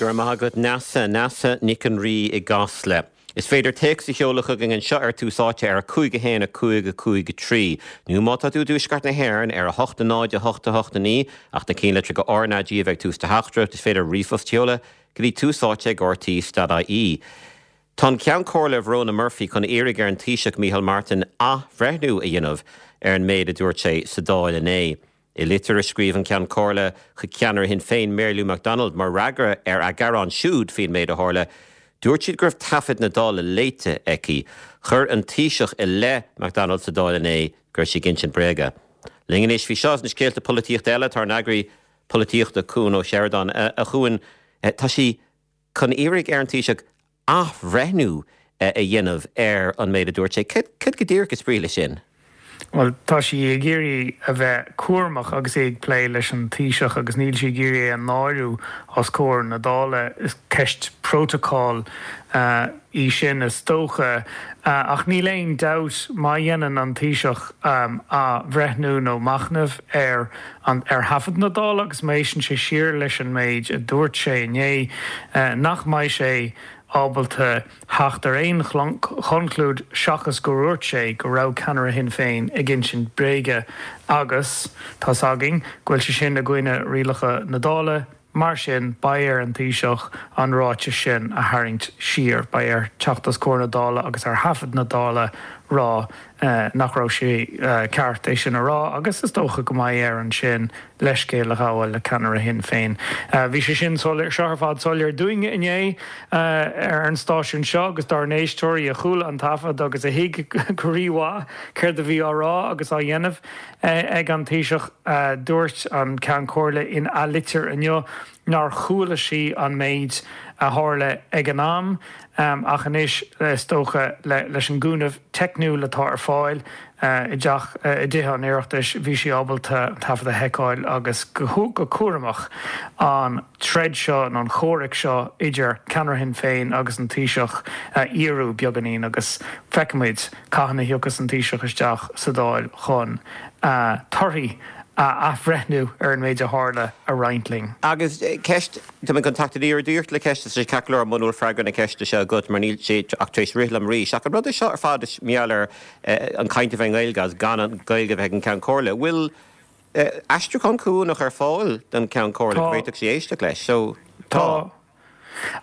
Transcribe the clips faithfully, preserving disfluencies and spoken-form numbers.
Go raibh maith agat Neasa Neasa Nic an Rí i gCasla. Is féidir téacs a sheoladh chugainn anseo ar Tús Áite ar a cúig a haon a cúig a cúig a trí. Nó má tá tú i dtuaisceart na hÉireann ar a hocht a náid a hocht a hocht a naoi ach na ceannlitreacha R na G a bheith ag tús do theachtaireacht is féidir ríomhphost a sheoladh go dtí tús áite ag RTÉ.ie. Tá an Ceann Comhairle Verona Murphy chun iarraidh ar an Taoiseach Micheál Martin athbhreithniú a dhéanamh ar an méid a dúirt sé sa Dáil inné. I litir a scríobh an Ceann Comhairle chuig ceannaire Shinn Féin Mary Lou McDonald mar fhreagra ar a gearán siúd faoin méid a tharla, Dúirt siad go raibh taifead na Dála léite aici, chuir an Taoiseach i leith McDonald sa Dáil inné go raibh sí ag insint bréaga. Linn anois faoi seo na scéalta polaitíochta eile tá ár n-eagraí polaitíochta Cuan Ó Seireadáin a Chuain tá sí chun iarraidh ar an Taoiseach athbhreithniú a dhéanamh ar an méid a dúirt sé. Cad go díreach is brí leis sin? Well tá sí ag iarraidh a bheith cúramach agus é ag plé leis an Taoiseach agus níl sí ag iarraidh é a náiriú os comhair na Dála is ceist protocol uh, í sin is dócha uh, ach níl aon dabht má dhéanann an Taoiseach um, athbhreithniú nó machnamh ar an ar thaifead na Dála agus má éisteann sé siar leis an méid a dúirt sé inné uh, nach mbeidh sé ábalta theacht ar aon chonclúid seachas go ndúirt sé go raibh ceannaire Shinn Féin ag insint bréige agus tá againn go bhfuil sé sin i gcoinne rialacha na Dála, mar sin beidh ar an Taoiseach an ráiteas sin a tharraingt siar beidh air teacht os comhair na Dála agus ar thaifead na Dála rá eh, nach raibh sé eh, ceart é sin a rá agus is dócha go mbeidh air ansin leithscéal a ghabháil le ceannaire Shinn Féin. Uh, bhí sé sin seo ar fad soiléir dúinne inné uh, ar an stáisiún seo agus dár n-éisteoirí a chuala an taifead agus a thuig go rímhaith céard a bhí á rá agus á dhéanamh uh, ag an Taoiseach uh, dúirt an Ceann Comhairle ina litir inniu nár chuala sí an méid a tharla ag an am um, ach anois is dócha le, leis an gcúnamh teicniúil atá ar fáil uh, i dteach uh, i dTithe an Oireachtais bhí sí ábalta taifead a fheiceáil agus go go cúramach an troid seo an chomhrac seo idir ceannaire Shinn Féin agus an Taoiseach uh, fhíorú beagáinín agus feicfimid cathain a thiocfas an Taoiseach isteach sa Dáil chun uh, torthaí a athbhreithniú ar an méid a tharla a roinnt linn. Agus ceist Tá an contact ar dúirt le ceist sé celar munúil freagra na ceiste seo agat mar níl sé ach tar éis rith liom arís. Ach an rud seo ar fad is meall ar an caint a bheith Gaeilge agus gan an Gaeilge bheith an Ceann Comhairle. Bhfuil aistriúchán cúnach ar fáil don Ceann Comhairle b'fhéidir sí éisteacht leis, so tá.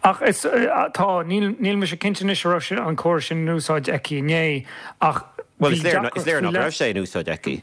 Ach is tá níl níl mé cinnte raibh sé an córas sin in úsáid aici inné ach Well is léir is léir nach raibh sé in úsáid aici.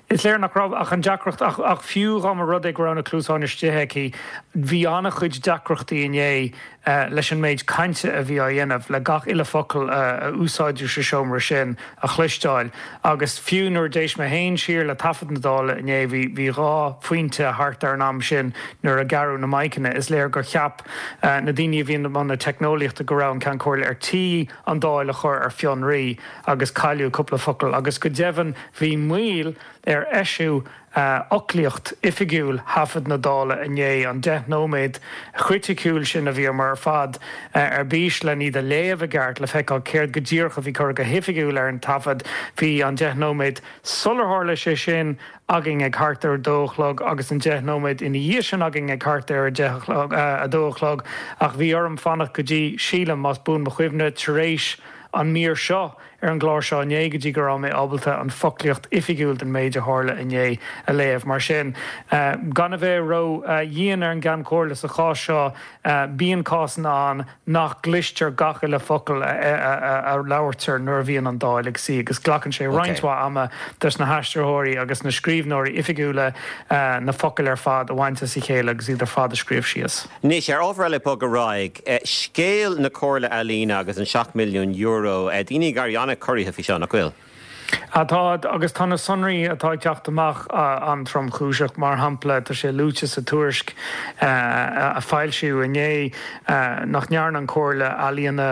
Is léir nach raibh ach an deacracht ach, ach fiú dá mba rud é go raibh na cluasáin istigh aici bhí an-chuid deacrachtaí inné uh, leis an méid cainte a bhí á dhéanamh le gach uile focal uh, a úsáideadh sa seomra sin a chloisteáil agus fiú nuair d'éist mé féin siar le taifead na Dála inné bhí bhí dhá phointe thart ar an am sin nuair a gearradh na maidhceanna is léir gur cheap uh, na daoine a bhí i mbun na teicneolaíochta go raibh an Ceann Comhairle ar tí an Dáil a chur ar fionraí agus cailleadh cúpla focal agus go deimhin bhí moill ar eisiú uh, fhoclaíocht oifigiúil thaifead na Dála inné an deich nóiméad chriticiúil sin a bhí mar fad uh, ar bís le iad a léamh i gceart le feiceáil céard go díreach a bhí curtha go hoifigiúil ar an taifead bhí an deich nóiméad sular tharla sé sin againn ag thart ar dó a chlog agus an deich nóiméad ina dhiaidh sin againn ag thart ar a dó a chlog ach bhí orm fanacht go dtí sílim más buan mo chuimhne tar éis an mír seo ar an gclár seo inné go dtí go raibh mé ábalta an foclaíocht oifigiúil den méid a tharla inné a léamh mar sin. Uh, gan a bheith ró-dhian uh, ar an gCeann Comhairle sa chás seo uh, bíonn cásanna ann nach gcloistear gach uile focal a, a, a, a labhraítear nuair a bhíonn an Dáil ag suí agus glacann sé roinnt mhaith ama dos na haistritheoirí agus na scríbhneoirí oifigiúla uh, na focail ar fad a bhaint as a chéile agus iad ar fad a scríobh síos. Anois ar ábhar eile bog ar aghaidh scéal na Comhairle Ealaíon agus an seacht milliún euro daoine ag éirí an-chorraithe faoi seo nach bhfuil. Atá agus tá na sonraí atá ag teacht amach an-tromchúiseach mar shampla tá sé luaite sa tuairisc a foilsíodh inné nach ndearna an Chomhairle Ealaíon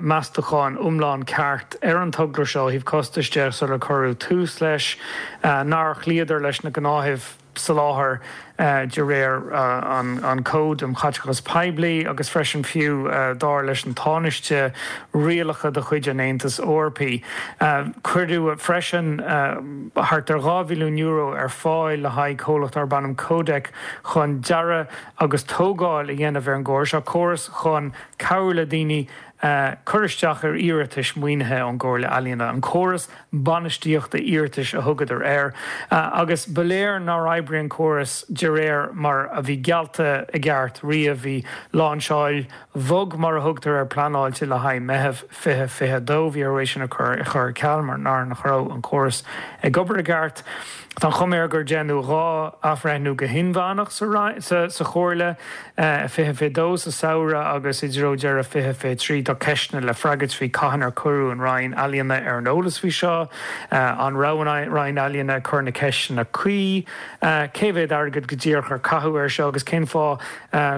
meastachán iomlán ceart ar an togra seo ó thaobh costais de sular cuireadh tús leis nár chloíodar leis na gnáthaimh soláthar de réir an Cód um Chaiteachas Poiblí agus freisin fiú dar leis an Tánaiste rialacha de chuid an Aontais Eorpaigh. Cuireadh freisin thart ar dhá mhilliún euro ar fáil le haghaidh comhlacht darb ainm Codec chun dearadh agus tógáil a dhéanamh ar an gcóras seo, córas chun cabhrú le daoine cur isteach ar iarratais maoinithe ón gComhairle Ealaíon, an córas bainistíochta iarratais a thugadar air, agus ba léir nár oibrigh an córas de réir mar a bhí geallta i gceart riamh. Bhí láinseáil bhog mar a thugtar air pleanáilte le haghaidh Meitheamh fiche fiche a dó, bhí orthu é sin a chur ar ceal mar nach raibh an córas ag obair i gceart. Tá an chuma air gur déanadh dhá athbhreithniú go hinmheánach sa sa Chomhairle, fiche fiche dó sa samhradh agus i dtreo deireadh fiche fiche trí. Tá ceisteanna le freagairt faoi cathain ar cuireadh an Roinn Ealaíona ar an eolas faoi seo, an raibh an Roinn Ealaíona ag cur na ceisteanna cuí, cé mhéad airgead go díreach ar caitheadh air seo agus cén fáth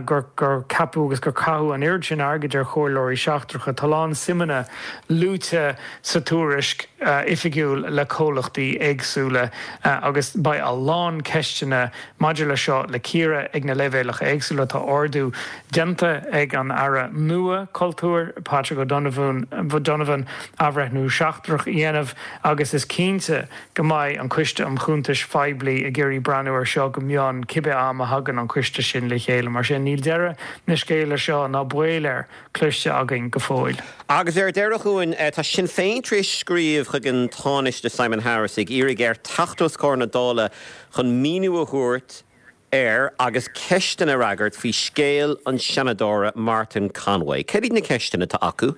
gur gur ceapadh agus gur caitheadh an oiread sin airgid ar chomhairleoirí seachtracha. Tá a lán suimeanna luaite sa tuairisc oifigiúil le comhlachtaí éagsúla agus beidh a lán ceisteanna maidir leis seo le cíoradh ag na leibhéalacha éagsúla. Tá ordú déanta ag an Aire nua Cultúir, Patrick O'Donovan, Donovan athbhreithniú seachtrach a dhéanamh agus is cinnte go mbeidh an Coiste um Chuntais Phoiblí ag iarraidh breathnú air seo go mion cibé am a thagann an coiste sin le chéile. Mar sin, níl deireadh na scéala seo ná baol air cloiste againn go fóill. Agus ar deireadh chugainn, tá Sinn Féin tar éis scríobh chuig an Tánaiste Simon Harris ag iarraidh air teacht os comhair na Dála chun míniú a thabhairt ar agus ceisteanna a fhreagairt faoi scéal an Seanadóra Martin Conway. Céard iad na ceisteanna atá acu?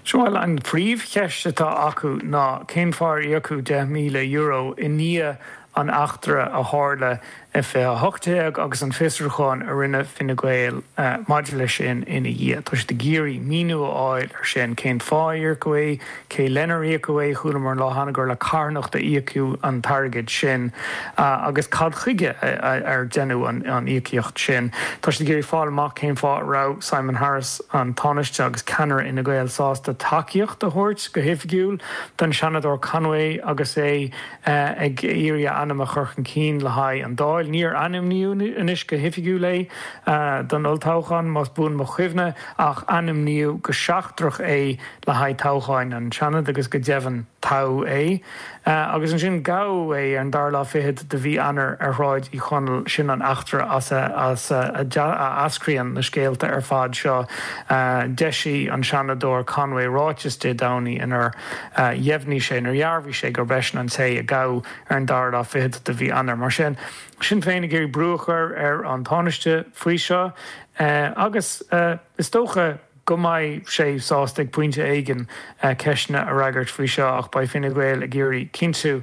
Bhuel, an phríomhcheist atá acu ná cén fáth ar íocadh deich míle euro i ndiaidh an eachtra a tharla i fiche a hocht déag agus an fiosrúchán a rinne Fine Gael maidir leis sin ina dhiaidh. Tá siad ag iarraidh míniú a fháil ar sin, cén fáth ar íocadh é, cé lenar íocadh é, chualamar an lá cheana gur le carthanacht a íocadh an t-airgead sin agus cad chuige ar deineadh an íocaíocht sin. Tá siad ag iarraidh fáil amach cén fáth a raibh Simon Harris, an Tánaiste agus ceannaire Fhine Gael sásta tacaíocht a thabhairt go hoifigiúil don Seanadóir Conway agus é ag iarraidh a ainm a chur chun cinn le haghaidh an Dáil. Níor ainmníodh anois go hoifigiúil é don olltoghchán, más buan mo chuimhne, ach ainmníodh go seachtrach é le haghaidh toghcháin an tSeanaid agus go deimhin toghadh é. Agus ansin gabhadh é ar an dara lá fichead de mhí Eanáir ar Shráid Uí Chonaill. Sin an eachtra as a eascraíonn na scéalta ar fad seo. D'eisigh an Seanadóir Conway ráiteas Dé Domhnaigh inar dheimhnigh sé, inar dhearbhaigh sé gurb eisean an té a gabhadh ar an dara lá fichead de mhí Eanáir. Mar sin, Sinn Féin ag iarraidh brú a chur ar an Tánaiste faoi seo agus is dócha go mbeidh sé sásta ag pointe éigin ceisteanna a fhreagairt faoi seo ach beidh Fine Gael ag iarraidh cinntiú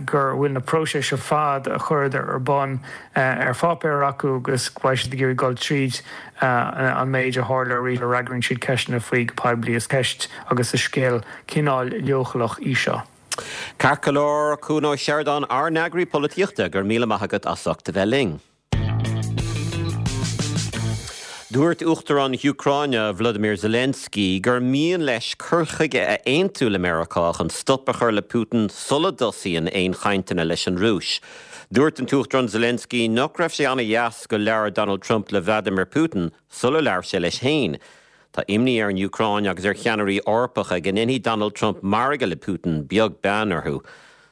gur bhfuil na próisis ar fad a chuireadar ar bun ar pháipéar acu agus go mbeidh siad ag iarraidh dul tríd an méid a tharla arís sula bhfreagraíonn siad ceisteanna faoi go poiblí. Is ceist agus is scéal cineál leochaileach í seo. Ceart go leor, Cuan Ó Seireadáin, ár n-eagraí polaitíochta, go raibh míle maith agat as ucht a bheith linn. Dúirt Uachtarán na hÚcráine, Volodymyr Zelensky, gur mian leis cur chuige a aontú le Meiriceá chun stop a chur le Putin sula dtosaíonn aon chainteanna leis an Rúis. Dúirt an tUachtarán Zelensky nach raibh sé an-deas gur labhair Donald Trump le Vladimir Putin sular labhair sé leis féin. Tá imní ar an Úcráin agus ar cheannairí Eorpacha go ndéanfaidh Donald Trump margadh le Putin beag beann orthu.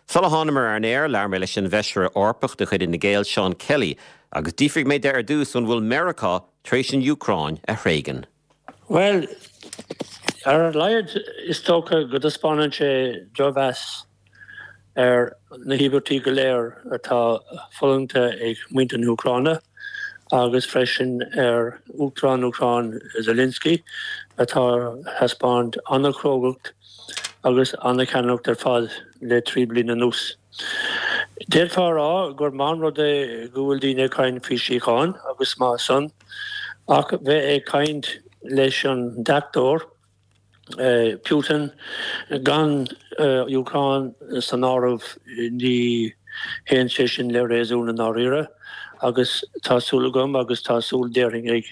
Sula thánamar ar an aer, labhair mé leis an bhFeisire Eorpach de chuid Fhine Gael, Seán Kelly, agus d'fhiafraigh mé de ar dtús an bhfuil Meiriceá tar éis an Úcráin a thréigean. Bhuel, ar a laghad is dócha go dtaispeánann sé drochmheas ar na híobairtí go léir atá fulaingthe ag muintir na hÚcráine agus freisin ar Uachtarán na hÚcráine Zelensky atá ag taispeáint an-chrógacht agus an-cheannaireacht ar fad le trí bliana anuas. D'fhéadfá a rá gur maith an rud é go bhfuil daoine ag caint faoi síocháin agus maith san ach bheith ag caint leis an deachtóir, Putin, gan Úcráin san áireamh ní théann sé sin le réasún i ndáiríre agus tá súil agam agus tá súil déarfainn ag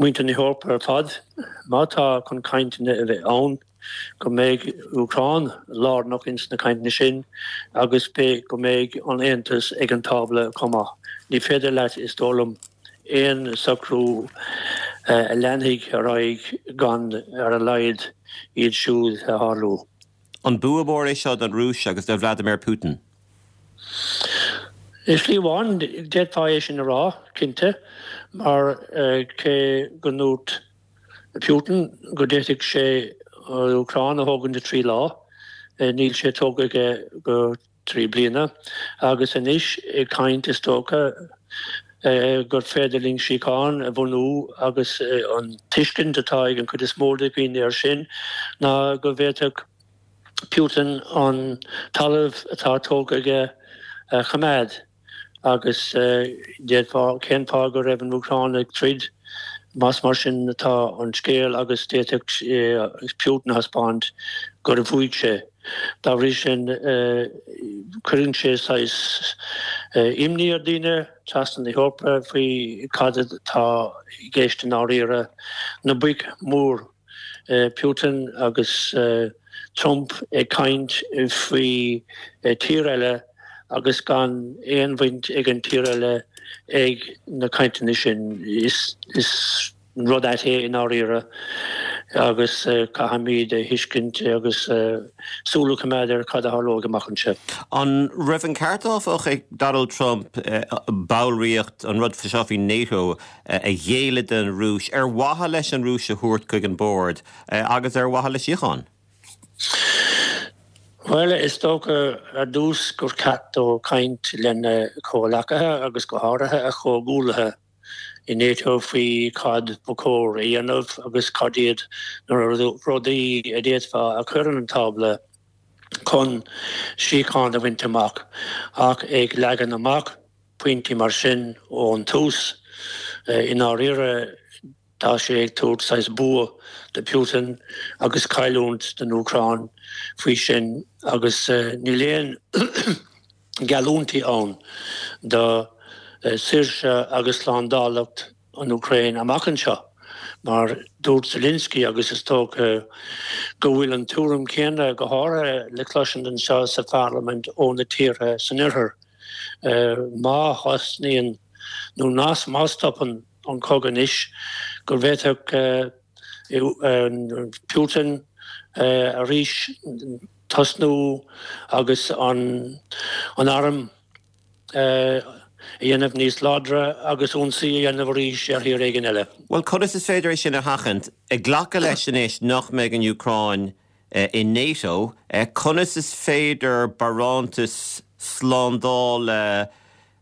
muintir na hEorpa ar fad má tá chun cainteanna a bheith ann go mbeidh Úcráin lárnach ins na cainteanna sin agus beidh go mbeidh an Aontas ag an tábla chomh maith. Ní féidir leat, is dóigh liom, aon socrú a leanfaidh ar aghaidh gan ar a laghad iad siúd a tharlú. An bua mór é seo don Rúis agus do Vladimir Putin? I slí amháin, d'fhéadfá é sin a rá, cinnte, mar cé go ndúirt Putin go d'fhéadfadh sé an Úcráin a thógaint i trí lá, níl sé tógtha aige go trí bliana, agus anois ag caint is dócha gur féidir linn síocháin a bhunú agus an tuiscint atá ag an chuid is mó de dhaoine air sin ná go bhféadfadh Putin an talamh atá tógtha aige a choimeád agus d'fhéadfá cén fáth go raibh an Úcráin ag troid más mar sin atá an scéal agus d'fhéadfadh Putin a thaispeáint gur bhuaigh sé. Dá bhrí sin cuireann sé saghas imní ar dhaoine trasna na hEorpa faoi cad atá i gceist i ndáiríre. Na boic mhór Putin agus Trump ag caint faoi tír eile agus gan aon bhaint ag an tír eile ag na cainteanna sin. Is rud ait é i ndáiríre agus caithfimid a thuiscint agus súil a choimeád ar cad a tharlóidh amach anseo. An raibh an ceart áfach ag Donald Trump ballraíocht, an rud seo faoi NATO, a ghéilleadh don Rúis ar mhaithe leis an Rúis a thabhairt chuig an bord agus ar mhaithe le síocháin? Bhuel, is dócha ar dtús gur cheart dó caint lena chomhghleacaithe agus go háirithe a chomhghuaillithe i NATO faoi cad ba chóir a dhéanamh agus cad iad na rudaí a d'fhéadfá a chur ar an tábla chun síocháin a bhaint amach. Ach ag leagan amach pointí mar sin ón tús, i ndáiríre, tá sé ag tabhairt saghas bua do Putin agus cailliúint don Úcráin faoi sin agus níl aon gheallúintí ann do saoirse agus slándálacht an Úcráin amach anseo. Mar dúirt Zelensky agus is dócha go bhfuil an tuairim chéanna go háirithe le cloisint anseo sa pharlaimint ó na tíortha san oirthear, má thosnaíonn nó má stopann an cogadh anois, go bhféadfadh Putin arís tosnú agus an arm a dhéanamh níos láidre agus ionsaí a dhéanamh arís ar thír éigin eile. Bhuel, conas is féidir é sin a sheachaint? Ag glacadh leis anois nach mbeidh an Úcráin i NATO, conas is féidir barántas slándála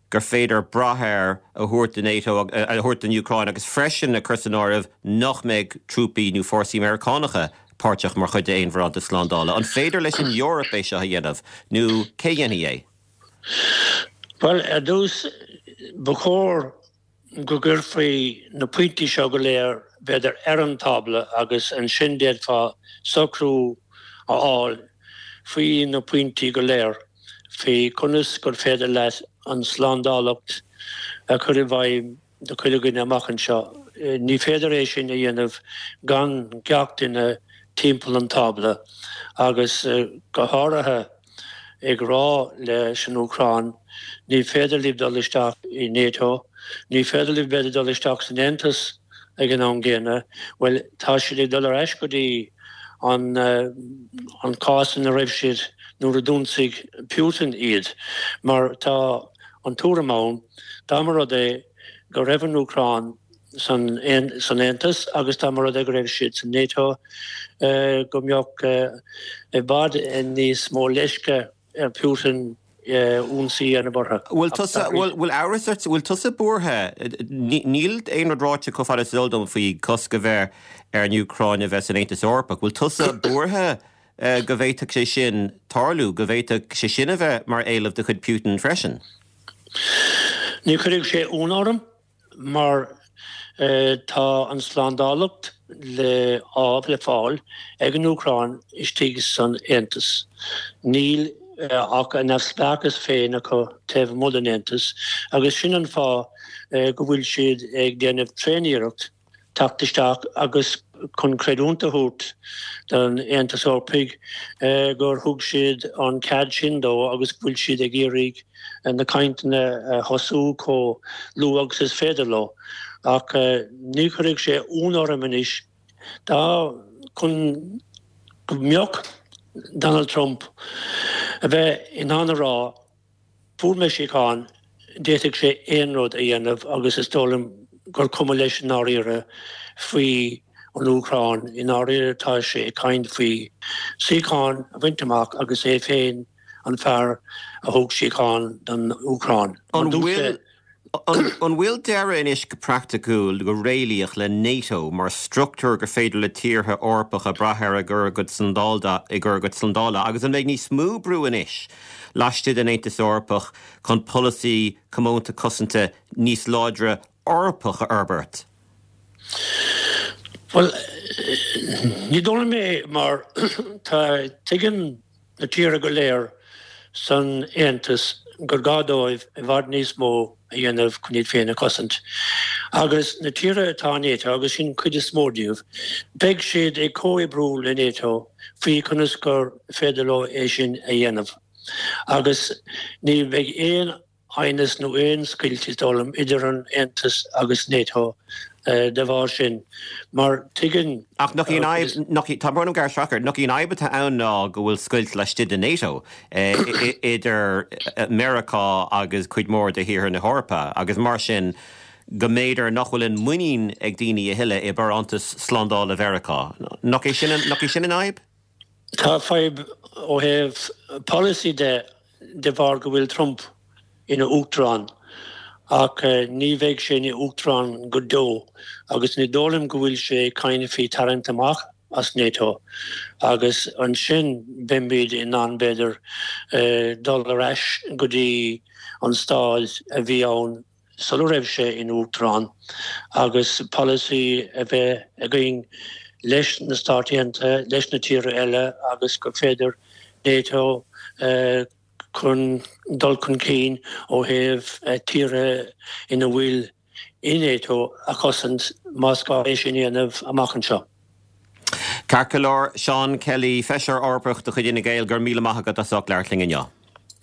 gur féidir brath air a thabhairt do NATO, a thabhairt don Úcráin agus freisin a chur san áireamh nach mbeidh trúpaí nó fórsaí Meiriceánacha páirteach mar chuid d'aon bharántas slándála. An féidir leis an Eoraip é seo a dhéanamh nó cé a dhéanfaidh é? Bhuel, ar dtús, ba chóir go gcuirfí na pointí seo go léir, b'fhéidir, ar an tábla agus ansin d'fhéadfá socrú a fháil faoi na pointí go léir, faoi conas gur féidir leat an tslándálacht a chur i bhfeidhm do chuile dhuine amach anseo. Ní féidir é sin a dhéanamh gan gach duine timpeall an tábla agus go háirithe ag rá leis an Úcráin, ní féidir libh dul isteach i NATO, ní féidir libh b'fhéidir dul isteach san Aontas ag an am gcéanna. Bhuel, tá siad ag dul ar ais go dtí an an cás ina raibh siad nuair a d'ionsaigh Putin iad, mar tá an tuairim ann, dá mba rud é go raibh an Úcráin san san Aontas agus dá mba rud é go raibh siad san NATO, go mbeadh i bhfad níos mó leisce ar Putin ionsaí a dhéanamh orthu. Bhfuil tusa, bhfuil amhras ort, bhfuil tusa buartha? Níl aon rud ráite chomh fada is eol dom faoi cosc a bheith ar an Úcráin a bheith san Aontas Eorpach. Bhfuil tusa buartha go bhféadfadh sé sin tarlú, go bhféadfadh sé sin a bheith mar éileamh de chuid Putin freisin? Ní chuirfeadh sé ionadh orm mar tá an tslándálacht le le fáil ag an Úcráin istigh san Aontas. Níl ach a neamhspleáchas féin acu taobh amuigh den Aontas agus sin an fáth go bhfuil siad ag déanamh tréaniarracht teacht isteach agus chun creidiúint a thabhairt don Aontas Eorpaigh gur thug siad an cead sin dó agus go bhfuil siad ag iarraidh na cainteanna a thosú chomh luath agus is féidir leo. Ach ní chuirfidh sé ionadh orm anois dá chun go mbeadh Donald Trump a bheith in ann a rá fuair mé síocháin, d'fhéadfadh sé aon rud a dhéanamh agus is dóigh liom gur cuma leis i ndáiríre faoi an Úcráin. I ndáiríre tá sé ag caint faoi síocháin a bhaint amach agus é féin an fear a thug síocháin don Úcráin. An bhfuil An bhfuil deireadh anois go praiticiúil, go réalaíoch le NATO mar struchtúr gur féidir le tíortha Eorpacha brath air i gcur a gcuid i gcur a gcuid slándála agus an mbeidh níos mó brú anois laistigh den Aontas Eorpach chun polasaí comónta cosanta níos láidre Eorpach a fhorbairt? Bhuel, ní dóigh liom é mar tá tuigeann na tíortha go léir san Aontas gur gá dóibh i bhfad níos mó a dhéanamh chun iad féin a chosaint. Agus na tíortha atá in NATO, agus sin cuid is mó díobh, beidh siad ag comhoibriú le NATO faoi conas gur féidir leo é sin a dhéanamh. Agus ní bheidh aon aighneas nó aon scoilt, is dóigh liom, idir an Aontas agus NATO de bharr sin, mar tuigeann. Ach nach í an fhadhb, nach í, tá brón orm gearradh isteach ort, nach í an fhadhb atá ann ná go bhfuil scoilt laistigh de NATO idir Meiriceá agus cuid mhór de thíortha na hEorpa agus mar sin go mb'fhéidir nach bhfuil an muinín ag daoine a thuilleadh i barántas slándála Mheiriceá. Nach é sin an, nach í sin an fhadhb? Tá fadhb ó thaobh polasaí de de bharr go bhfuil Trump ina uachtarán ach ní bheidh sé ina uachtarán go deo agus ní dóigh liom go bhfuil sé ag caint faoi tarraingt amach as NATO agus ansin beimid in ann b'fhéidir dul ar ais go dtí an staid a bhí ann sula raibh sé ina uachtarán agus polasaí a bheith againn leis na Stáit Aontaithe, leis na tíortha eile agus gur féidir NATO chun dul chun cinn ó thaobh tíortha ina bhfuil i NATO a chosaint más gá é sin a dhéanamh amach anseo. Ceart go leor, Seán Kelly, Feisire Eorpach de chuid Fhine Gael, go raibh míle maith agat as ucht labhairt linn inniu.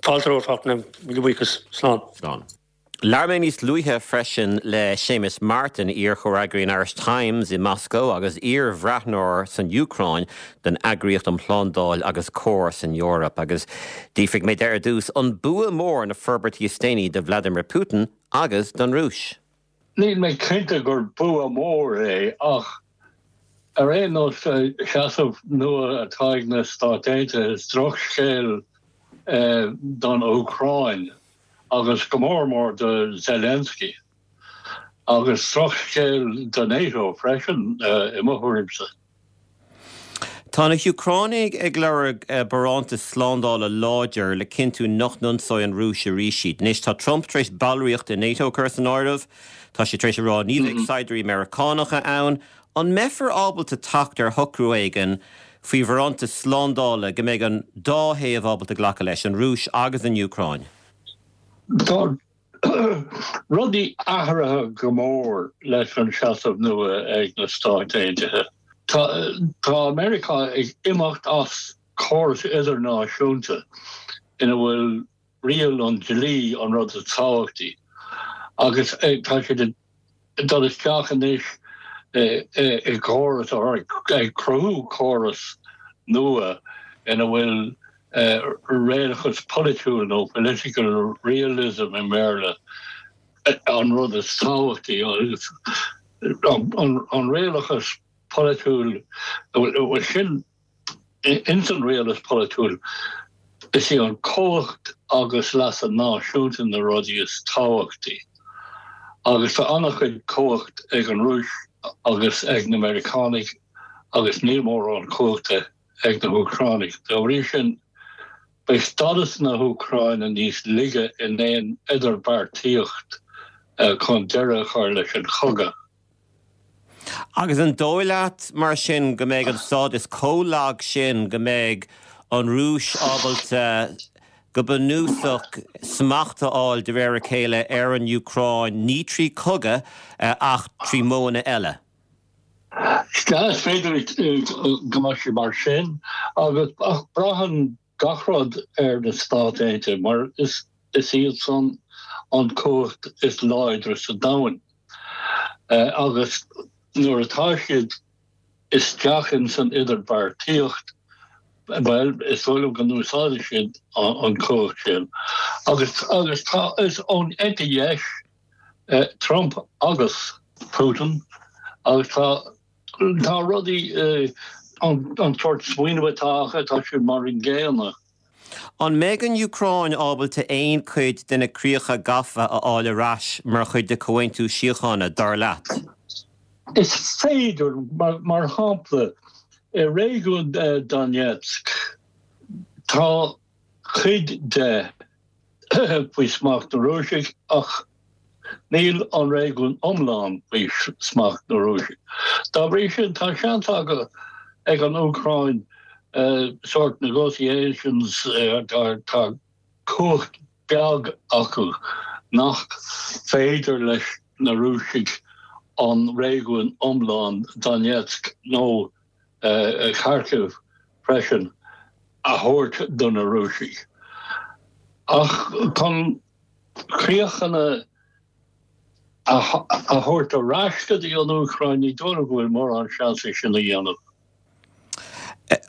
Fáilte romhat, Fachtna, míle buíochas. Slán. Slán. Labhair mé níos luaithe freisin le Séamus Martin, iar-chomhfhreagraí an Irish Times i Moscó agus iar-bhreathnóir san Úcráin don Eagraíocht um Shlándáil agus Comhar san Eoraip, agus d'fhiafraigh mé de ar dtús an bua mór na forbairtí is déanaí do Vladimir Putin agus don Rúis. Níl mé cinnte gur bua mór é ach ar aon nós seasamh nua atá ag na Stáit Aontaithe is drochscéal don Úcráin. agus go mór mór do Zelensky, agus drochscéal do NATO freisin i mo thuairimse. Tá na hÚcránaigh ag lorg barántas slándála láidir le cinntiú nach n-ionsóidh an Rúis arís iad. Anois tá Trump tar éis ballraíocht i NATO a chur san áireamh. Tá sé tar éis a rá ní bheidh saighdiúirí Meiriceánacha ann. An mbeifear ábalta teacht ar shocrú éigin faoi bharántas slándála go mbeidh an dá thaobh ábalta glacadh leis, an Rúis agus an Úcráin? Tá rudaí athraithe go mór leis an seasamh nua ag na Stáit Aontaithe. Tá Meiriceá ag imeacht as córas idirnáisiúnta ina bhfuil riail an dlí an rud is tábhachtaí agus tá siad ag dul isteach anois i gcóras, ag cruthú córas nua ina bhfuil réalachas polaitiúil nó political realism i mBéarla an rud is tábhachtaí agus an réalachas polaitiúil, bhuel sin ins an réalachas polaitiúil is í an chumhacht agus leasa náisiúnta na rudaí is tábhachtaí agus tá an-chuid cumhacht ag an Rúis agus ag na Meiriceánaigh agus níl mórán cumhachta ag na hÚcránaigh. Dá bhrí sin, beidh stádas na hÚcráine níos laige in aon idirbheartaíocht chun deireadh a chur leis an chogadh. Agus an dóigh leat, mar sin, go mbeidh an stádas chomh lag sin go mbeidh an Rúis ábalta, go bunúsach, smacht a fháil de réir a chéile ar an Úcráin, ní trí chogadh ach trí mhodhanna eile? Is féidir go mbeadh sé mar sin agus ach braitheann gach rud ar na Stáit Aontaithe mar is is iad san an cumhacht is láidre sa domhan. Uh, agus nuair atá siad isteach in san idirbheartaíocht well is dóigh liom go n-úsáideann siad an cumhacht sin. Agus agus tá is ón eite dheis uh, Trump agus Putin agus tá tá rudaí uh, an, an sórt smaoineamh atá acu tá siad mar an gcéanna. An mbeidh an Úcráin ábalta aon chuid de na críocha gafa a fháil ar ais mar chuid de chomhaontú síochána dar leat? Is féidir mar, mar shampla i réigiún uh, Donetsk tá cuid de faoi smacht na Rúiseach ach níl an réigiún iomlán faoi smacht na Rúiseach. Dá bhrí sin tá seans acu ag an Úcráin uh, sort negotiations uh, tá, tá cumhacht beag acu nach féidir leis na Rúisigh an réigiún iomlán Donetsk nó uh, Kharkiv freisin a thabhairt do na Rúisigh. Ach chun críochanna a thabhairt ar ais go dtí an Úcráin ní dóigh go bhfuil mórán seans sin a dhéanamh.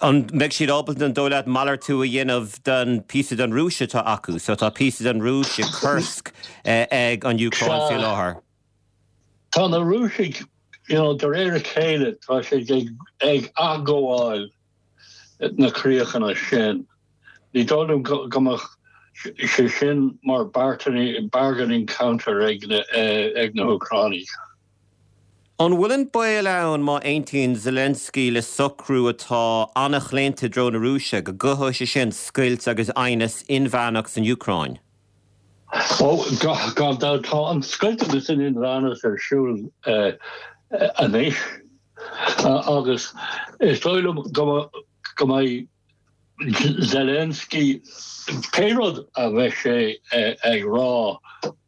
An mbeidh siad ábalta an dóigh leat malartú a dhéanamh den píosa den Rúis atá acu, so tá píosa den Rúis i Kursk eh, ag an Úcráin faoi láthair. Tá na Rúisigh you know, de réir a chéile tá sé ag, ag athghabháil na críochanna sin. Ní dóigh liom go mbeadh sé sin mar bargaining counter ag na, eh, ag na hÚcránaigh. An bhfuil an baol ann má aontaíonn Zelensky le socrú atá an-chlaonta i dtreo na Rúise go gcothóidh sé sin scoilt agus aighneas inmheánach san Úcráin. Ó gan tá an scoilt agus an inmheánach ar siúl uh, anois agus is dóigh liom go go mbeidh Zelensky pé rud a bheidh sé ag rá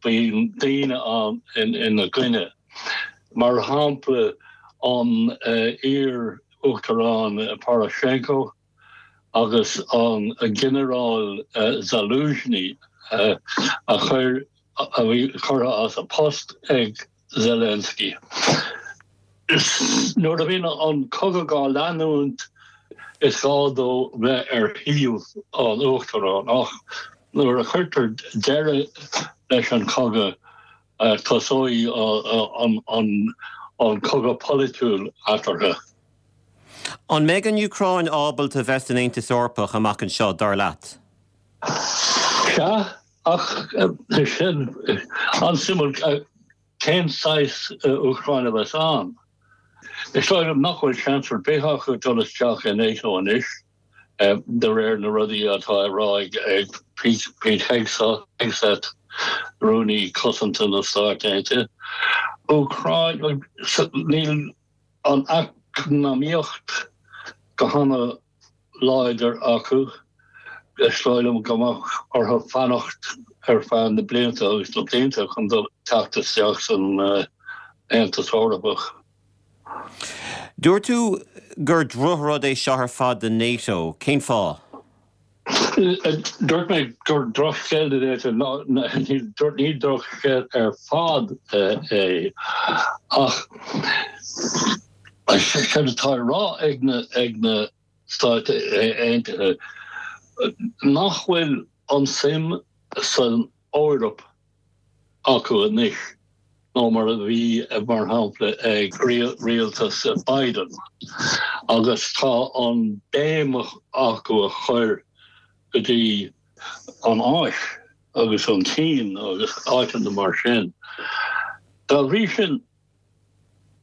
bíonn daoine an ina choinne. Mar shampla an uh, iar-uachtarán Poroshenko agus an ginearál uh, Zaluzhny uh, a chuir a bhí curtha as a post ag Zelensky. Nuair a bhíonn an cogadh á leanúint is gá dó bheith ar thaobh an uachtarán ach nuair a chuirtear deireadh leis an cogadh uh, tosóidh an, an, an cogadh polaitiúil eatarthu. An mbeidh an Úcráin ábalta bheith san Aontas Eorpach amach anseo dar leat? Sea ach sin an-suimiúil cén saghas Úcráin a bheas ann. Is dóigh liom nach bhfuil seans ar bith acu dul isteach in NATO anois de réir na rudaí atá á rá ag Pete Hegseth rúnaí cosanta na Stát Aontaithe. Úcráin níl an eacnamaíocht go han-láidir acu is dóigh liom go mbeadh orthu fanacht ar feadh na blianta agus na blianta chun dul teacht isteach san Aontas Eorpach. Dúirt tú gur drochrud é seo ar fad do NATO, cén fáth? Dúirt mé gur drochscéal ní drochscéal ar fad é ach sé atá á rá ag na ag na Stáit Aontaithe nach bhfuil an suim san Eoraip acu anois ná mar a bhí mar shampla ag rialtas Biden agus tá an béim acu a chur go dtí an Áis agus an tSín agus áiteanna mar sin. Dá bhrí sin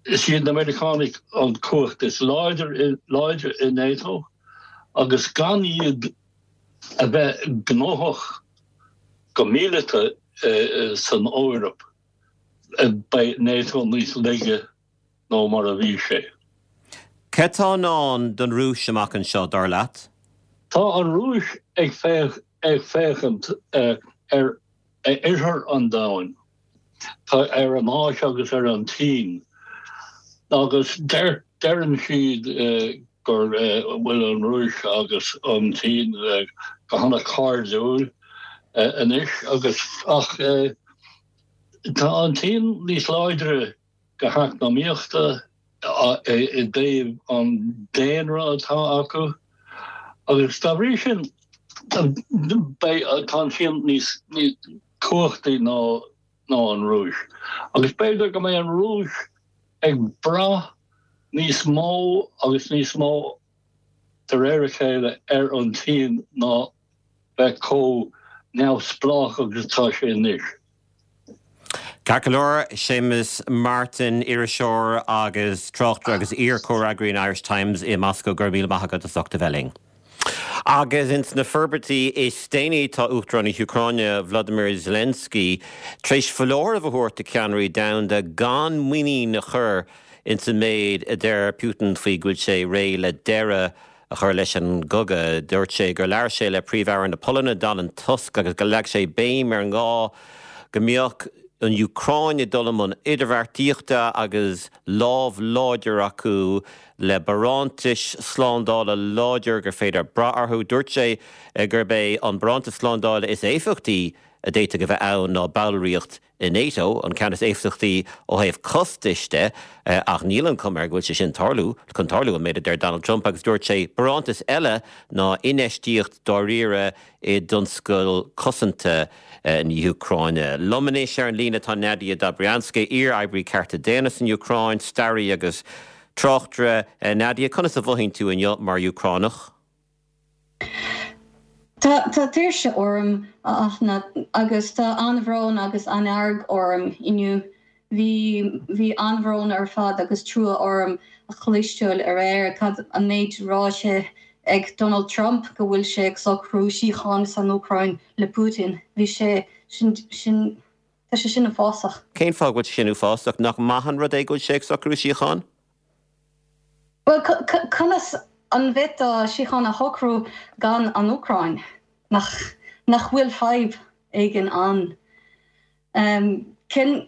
is iad na Meiriceánaigh an cumhacht is láidir láidir in NATO agus gan iad a bheith gnóthach go míleata uh, san Eoraip beidh NATO níos laige ná mar a bhí sé. Cad atá i ndán don Rúis amach anseo dar leat? Tá an Rúis ag féach ag féachaint uh, ar oirthear an domhain Tá ar an Áis agus ar an tSín. Agus deirtear Deireann siad gur bhfuil an Rúis agus an tSín go hana-chairdiúil anois agus ach tá an tSín níos láidre go heacnamaíochta i dtaobh an daonra atá acu agus dá bhrí sin tá an tSín níos cumhachtaí ná ná an Rúis. Agus b'fhéidir go mbeidh an Rúis ag brath níos mó agus níos mó de réir a chéile ar an tSín ná bheith chomh neamhspleách agus atá sé anois. Ceart go leor Séamus Martin iriseoir agus tráchtaire agus iar-chomhfhreagraí an Irish Times i Moscow go raibh míle maith agat as ucht a bheith linn. Agus ins na forbairtí is déanaí tá Uachtarán na hÚcráine Vladimir Zelensky tar éis foláireamh a thabhairt do cheannairí domhanda gan muinín a chur ins an méid a deir Putin faoi go bhfuil sé réidh le deireadh a chur leis an gcogadh. Dúirt sé gur labhair sé le Príomh-Aire na Polainne Donald Tusk agus go leag sé béim ar an ngá go mbeadh an Úcráin ag dul i mbun idirbheartaíochta agus lámh láidir acu le barántais slándála láidir gur féidir brath orthu. Dúirt sé gurb é an barántas slándála is éifeachtaí a d'fhéadfadh a bheith ann ná ballraíocht i NATO an ceann is éifeachtaí ó thaobh costais de ach níl an chuma air go bhfuil sé sin tarlú chun tarlú an méid a deir Donald Trump agus dúirt sé barántas eile ná infheistíocht dáiríre i dtionscal cosanta na hÚcráine. Liom anois ar an líne tá Nadia Dobrianska, iar-oibrí cearta daonna san Úcráin, staraí agus tráchtaire Nadia, conas a mhothaíonn tú inniu mar Úcránach? Tá tá tuirse orm ach agus tá an-bhrón agus an-fhearg orm inniu. Bhí bhí an-bhrón ar fad agus trua orm a chloisteáil aréir cad an méid ráite ag Donald Trump go bhfuil sé ag socrú síocháin san Úcráin le Putin. Bhí sé sin sin tá sé sin uafásach. Cén fáth go bhfuil sin uafásach nach maith an rud é go bhfuil sé ag socrú síocháin? Well conas an bhféadfá síocháin a shocrú gan an Úcráin nach nach bhfuil fadhb éigin ann. Um, cin,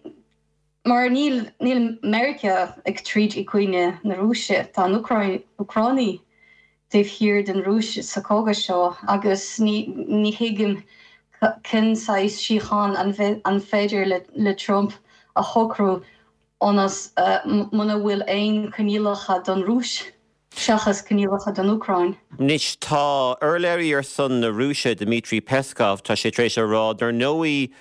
mar níl níl Meiriceá ag troid i gcoinne na Rúise tá an Úcráin Úcránaigh taobh thiar den Rúis sa chogadh seo agus ní ní thuigim cén saghas síocháin an an féidir le, le Trump a shocrú ionas uh, muna bhfuil aon choinníollacha don Rúis. seachas coinníollacha don Úcráin. Anois tá urlabhraí ar son na Rúise Dmitry Peskov tá sé tar éis a rá dar ndóigh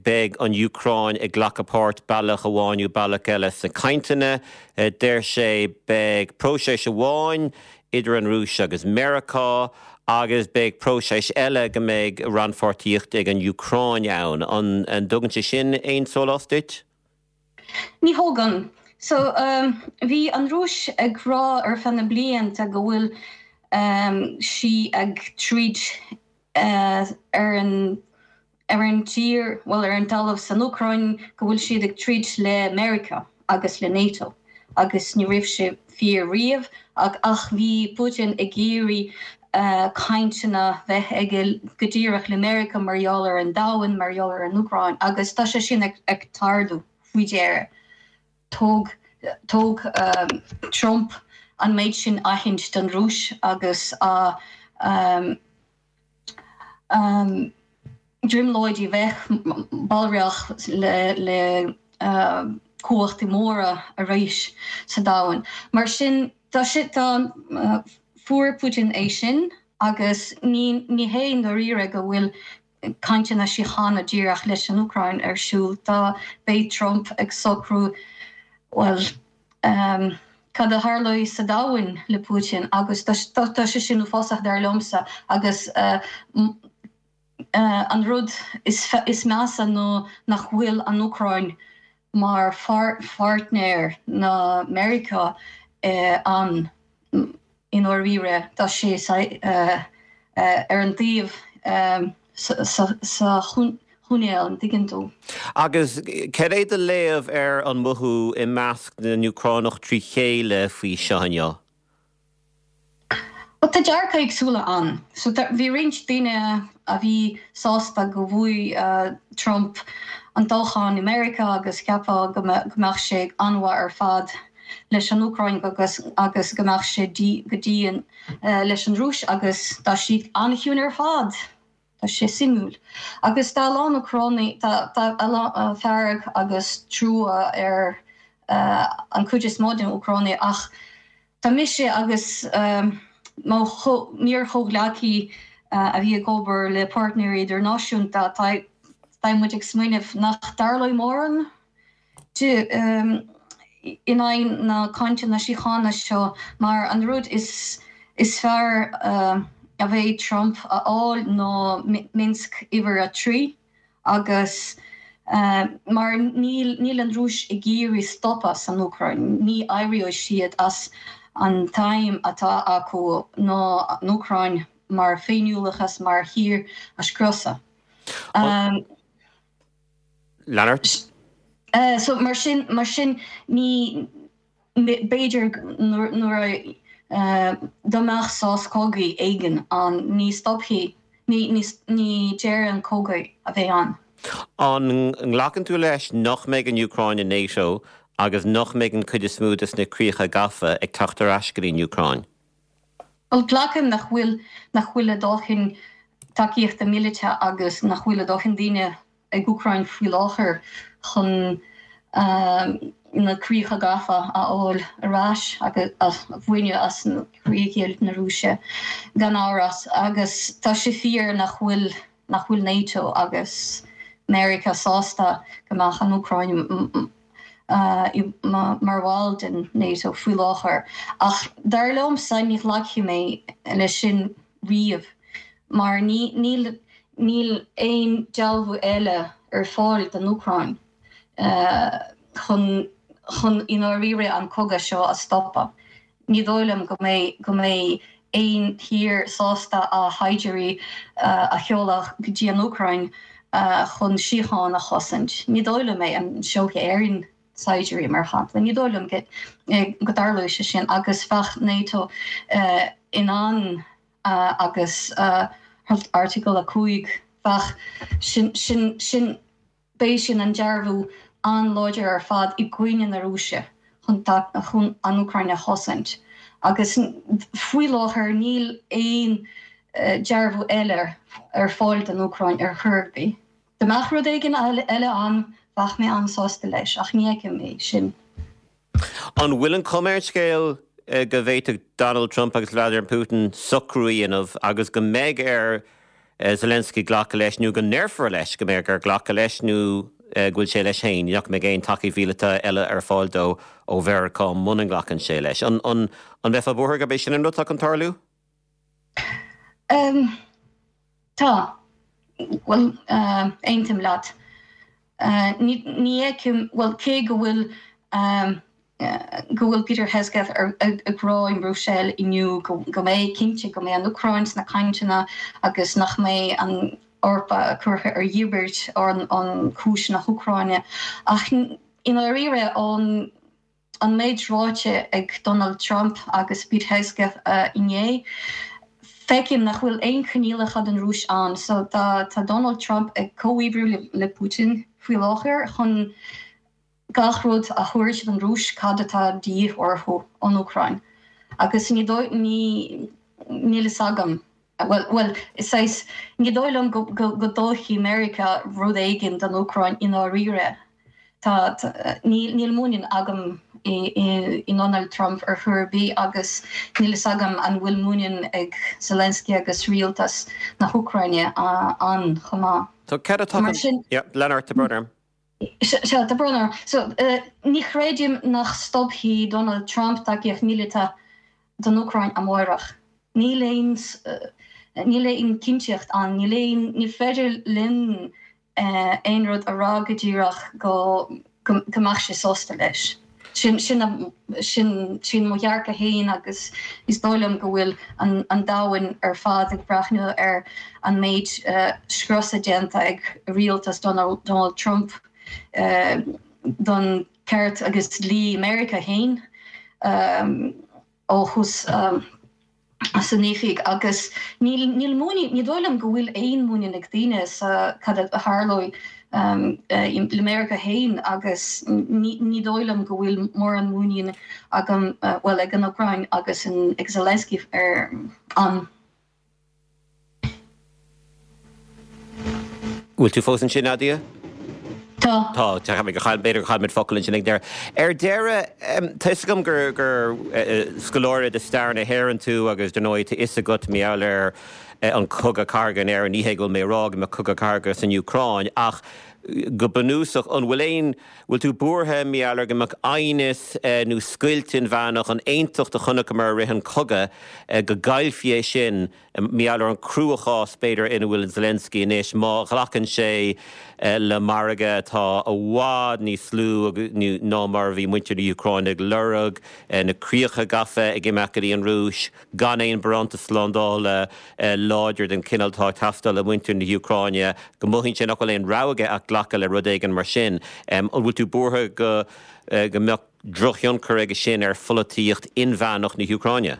beidh an Úcráin ag glacadh páirt bealach amháin nó bealach eile sna cainteanna, deir sé beidh próiseas amháin idir an Rúis agus Meiriceá agus beidh próiseas eile go mbeidh rannpháirtíocht ag an Úcráin ann an an dtugann sé sin aon sólás duit? Ní thugann. So um, bhí an Rúis ag rá ar feadh na blianta go bhfuil um, sí ag troid uh, ar an ar an tír well ar an talamh san Úcráin go bhfuil siad ag troid le Meiriceá agus le NATO agus ní raibh sé fíor riamh ach ach bhí Putin ag iarraidh uh, cainteanna bheith aige go díreach le Meiriceá mar gheall ar an domhan mar gheall ar an Úcráin agus tá sé sin ag, ag tarlú faoi dheireadh. Thug thug um, Trump an méid sin aithint don Rúis agus a um, um, brionglóidí bheith ballraíocht le, le uh, cumhachtaí móra arís sa domhan. Mar sin tá si tá uh, fuair Putin é sin agus ní ní hé dáiríre go bhfuil cainteanna síochána díreach leis an Úcráin ar siúl tá beidh Trump ag socrú well um, cad a tharlóidh sa domhan le Putin agus tá sé sin uafásach dar liomsa agus uh, uh, an rud is, is measa nó nach bhfuil an Úcráin mar pháirtnéir na Meiriceá uh, an i ndáiríre tá sé uh, uh, ar an taobh um, sa, sa, sa choinneal an dtuigeann tú. Agus cad é do léamh ar an mothú i measc na nÚcránach trí chéile faoi seo inniu? Well, tá dearcadh éagsúla ann. So bhí roinnt daoine a bhí sásta go bhfuair uh, Trump an toghchán i Meiriceá agus ceapadh go mbeadh sé an-mhaith ar fad. leis an Úcráin agus agus go mbeadh sé go dian leis an Rúis agus tá siad an-chiúin ar fad. Tá sé suimiúil. Agus tá a lán Úcránaigh tá tá fearg agus trua ar an chuid is mó den Úcránaigh ach tá mise agus mo iar-chomhghleacaí a bhí ag obair le páirtnéirí idirnáisiúnta tá tá muid ag smaoineamh nach dtarlóidh mórán in aghaidh na cainteanna síochána seo mar an rud is is fearr a bheidh Trump a fháil ná Minsk uimhir a trí agus mar níl níl an Rúis ag iarraidh stopadh san Úcráin, ní éireoidh siad as an aidhm atá acu ná an Úcráin mar féiniúlachas mar thír a scriosadh. Leonard? So mar sin mar sin ní b'fhéidir nuair a dá mbeadh sos cogaidh éigin ann ní stopfaidh ní ní ní deireadh an cogadh a bheidh ann. An nglacann tú leis nach mbeidh an Úcráin i NATO agus nach mbeidh an chuid is mó de na críocha gafa ag teacht ar ais go dtí an Úcráin? Bhuel glacaim nach bhfuil nach bhfuil a dóthain tacaíochta míleata agus nach bhfuil a dóthain daoine ag Úcráin faoi láthair chun na críocha gafa a fháil ar ais agus a bhaint as na críocha na Rúise gan amhras agus tá sé fíor nach bhfuil nach bhfuil NATO agus Meiriceá sásta go mbeadh an Úcráin mar bhall den NATO faoi láthair. Ach dar liomsa ní ghlacfaidh mé leis sin riamh mar ní níl níl aon dealbhú eile ar fáil don Úcráin chun chun i ndáiríre an cogadh seo a stopadh. Ní dóigh liom go mbeidh go mbeidh aon tír sásta a shaighdiúirí a sheoladh go dtí an Úcráin chun síocháin a chosaint. Ní dóigh liom é an seolfaidh Éirinn saighdiúirí mar shampla. Ní dóigh liom go dtarlóidh sé sin agus bheadh NATO in ann agus Airteagal a cúig bheadh sin sin sin beidh sin an dearbhú an-láidir ar fad i gcoinne na Rúise chun chun an Úcráin a chosaint. Agus faoi láthair níl aon dearbhú eile ar fáil don Úcráin ar chor ar bith. Dá mbeadh rud éigin eile ann bheadh mé an-sásta leis ach ní fheicim é sin. An bhfuil an chuma ar an scéal go bhféadfadh Donald Trump agus Vladimir Putin socrú a dhéanamh agus go mbeidh ar Zelensky glacadh leis nó go ndéarfar leis go mbeidh air glacadh leis nó go bhfuil sé leis féin, nach mbeidh aon tacaíocht mhíleata eile ar fáil dó ó Mheiriceá muna nglacann sé leis. An an an mbeifeá buartha gurb é sin an rud atá chun tarlú? Um, tá well uh, aontaím leat. Uh, ní fheicim well cé go bhfuil um, go bhfuil Peter Hegseth ag rá in Brussels inniu go mbeidh cinnte go mbeidh an Úcráin sna cainteanna agus nach mbeidh an Eoraip curtha ar dhíbirt ar an chúis na hÚcráine ach i ndáiríre an an méid ráite ag Donald Trump agus Pete Hegseth uh, inné. Feicim nach bhfuil aon choinníollacha den Rúis ann, so tá tá Donald Trump ag comhoibriú le, le Putin faoi láthair chun gach rud a thabhairt don Rúis cad atá de dhíth orthu ón Úcráin. Agus ní ní níl a fhios agam. Well, well, is é ní dóigh liom go, go, go dtógfaidh Meiriceá rud éigin don Úcráin i ndáiríre. Tá níl muinín agam i, i, i Donald Trump ar chor ar bith agus níl a fhios agam an bhfuil muinín ag Zelensky agus rialtas na hÚcráine ann chomh maith. Tá cad atá Leonard tá brón orm. Se tá brón orm. So uh, ní chreidim nach stopfaidh Donald Trump tacaíocht míleata don Úcráin amárach. Níl aon uh, níl aon chinnteacht ann, níl aon ní féidir linn uh, aon rud a rá go díreach go go, go mbeadh sé sásta leis. Sin sin sin sin mo dhearcadh féin agus is dóigh liom go bhfuil an, an domhan ar fad ag breathnú ar an méid uh, scriosa déanta ag rialtas Donald, Donald Trump uh, don ceart agus dlí Meiriceá féin um, ó thús um, san oifig agus níl níl muinín ní dóigh liom go bhfuil aon muinín ag daoine sa cad a tharlóidh le Meiriceá féin agus ní dóigh liom go bhfuil mórán muinín agam, bhuel, ag an Úcráin agus ag Zelensky ar an. Bhfuil tú fós ansin, Nadia? Tá. Tá, tá mé go chaill, b'fhéidir gur chaill muid focal ansin ag deireadh. Ar deireadh, tá 'fhios agam gur gur scoláire de stair na hÉireann tú agus dar ndóigh tá 'fhios agat mar gheall ar an cogadh cathartha in Éirinn, ní hé go bhfuil mé ag rá go mbeadh cogadh cathartha san Úcráin ach go bunúsach an bhfuil aon, bhfuil tú buartha mar gheall ar go mbeadh aighneas nó scoilt inmheánach, an aontacht a chonaiceamar i rith an chogaidh, go gcaillfí é sin mar gheall ar an cruachás b'fhéidir ina bhfuil Zelensky anois má ghlacann sé le margadh atá i bhfad níos lú ná mar a bhí muintir na hÚcráine ag lorg, na críocha gafa ag imeacht go dtí an Rúis, gan aon barántas slándála láidir den chineál atá ag teastáil ó mhuintir na hÚcráine, go mothaíonn sé nach bhfuil aon rogha aige ach glacadh le rud éigin mar sin. An bhfuil tú buartha go go mbeadh drochthionchar aige sin ar pholaitíocht inmheánach na hÚcráine?